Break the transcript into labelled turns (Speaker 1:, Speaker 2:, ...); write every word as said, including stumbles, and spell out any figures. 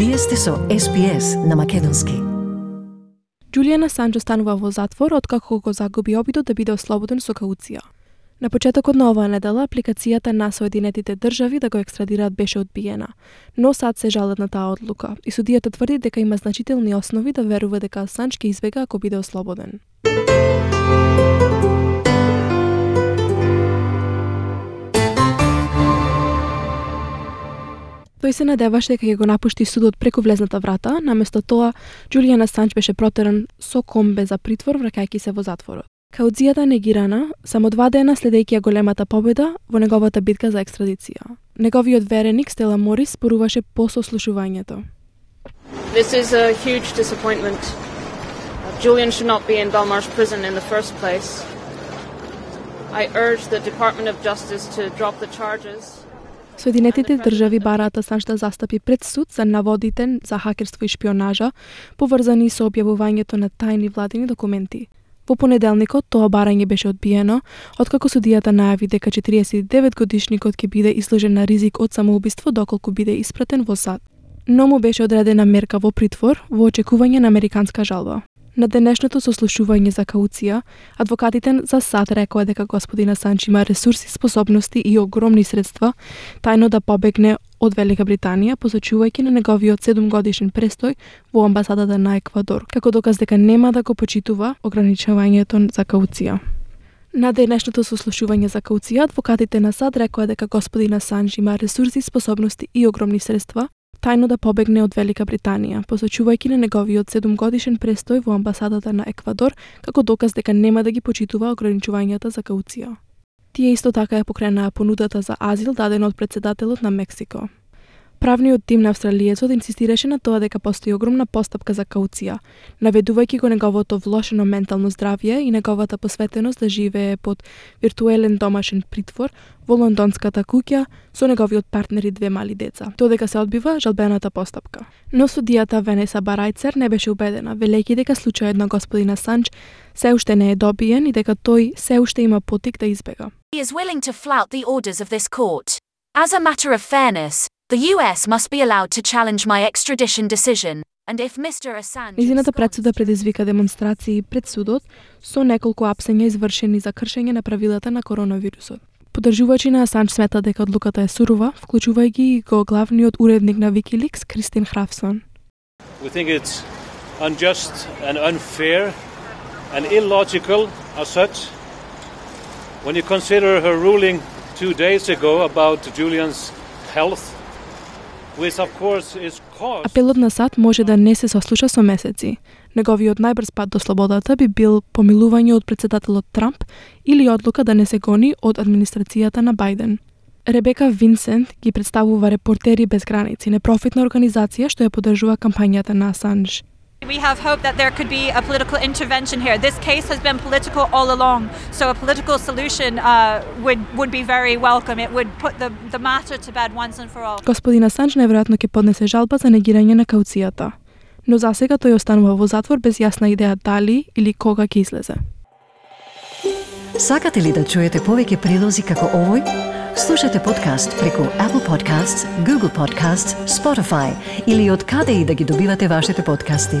Speaker 1: Вие сте со Ес Би Ес на македонски.
Speaker 2: Џулијан Асанџ останува во затвор откако го загуби обидот да биде ослободен со кауција. На почетокот на оваа недела апликацијата на Соединетите држави да го екстрадираат беше одбиена, но САД се жалат на таа одлука и судијата тврди дека има значителни основи да верува дека Асанџ ќе избега ако биде ослободен. Тој се надеваше дека ќе го напушти судот преку влезната врата, наместо тоа Џулијан Асанџ беше протеран со комбе за притвор враќајќи се во затворот. Кауцијата негирана само два дена следејќи ја големата победа во неговата битка за екстрадиција. Неговиот вереник Стела Морис споруваше по сослушувањето.
Speaker 3: This is a huge disappointment. Julian should not be in Belmarsh prison in the first place. I urge the Department of Justice to drop the charges.
Speaker 2: Соединетите држави бараат Асанџ да застапи пред суд за наводите за хакерство и шпионажа, поврзани со објавувањето на тајни владини документи. Во понеделникот тоа барање беше одбиено, откако судијата најави дека четириесет и девет годишникот ќе биде изложен на ризик од самоубиство доколку биде испратен во САД. Но му беше одредена мерка во притвор во очекување на американска жалба. На денешното сослушување за кауција, адвокатите за САД рекоа дека господин Асанџ има ресурси, способности и огромни средства тајно да побегне од Велика Британија, посочувајќи на неговиот седумгодишен престој во амбасадата на Еквадор, како доказ дека нема да го почитува ограничувањето за кауција. На денешното сослушување за кауција, адвокатите на САД рекоа дека господин Асанџ има ресурси, способности и огромни средства тајно да побегне од Велика Британија, посочувајќи на неговиот седумгодишен престој во амбасадата на Еквадор, како доказ дека нема да ги почитува ограничувањата за кауција. Тие исто така ја покренаа понудата за азил дадена од председателот на Мексико. Правниот тим на австралиецот инсистираше на тоа дека постои огромна постапка за кауција, наведувајќи го неговото влошено ментално здравје и неговата посветеност да живее под виртуелен домашен притвор во лондонската куќа со неговиот партнер и две мали деца, додека се одбива жалбената постапка. Но судијата Венеса Барајцер не беше убедена, велејќи дека случајот на господин Асанџ се уште не е добиен и дека тој се уште има потик да избега.
Speaker 4: He is willing to flout the orders of this court. As a matter of fairness, the U S must be allowed to challenge my extradition decision, and if Mister Assange...
Speaker 2: Низината предсуда предизвика демонстрации пред судот со неколку апсења извршени за кршење на правилата на коронавирусот. Поддржувачи на Асанџ смета дека одлуката е сурова, вклучувајќи и го главниот уредник на Wikileaks Кристин Храфсон.
Speaker 5: We think it's unjust and unfair and illogical as such. When you consider her ruling two days ago about Julian's health, which of course is caused... Апелот на САД може да не се сослуша со месеци. Неговиот најбрз пат до слободата би бил помилување од председателот Трамп или одлука да не се гони од администрацијата на Бајден. Ребека Винсент ги представува Репортери без граници, непрофитна организација што ја поддржува кампањата на Асанџ.
Speaker 6: We have hope that there could be a political intervention here. This case has been political all along, so a political solution uh, would would be very welcome. It would put the the matter to bed once and for all.
Speaker 2: Господин Асанџ неверојатно ќе поднесе жалба за негирање на кауцијата, но засега тој останува во затвор без јасна идеја дали или кога ќе излезе.
Speaker 1: Сакате ли да чуете повеќе прилози како овој? Слушате подкаст преку Apple Podcasts, Google Podcasts, Spotify или од каде и да ги добивате вашите подкасти.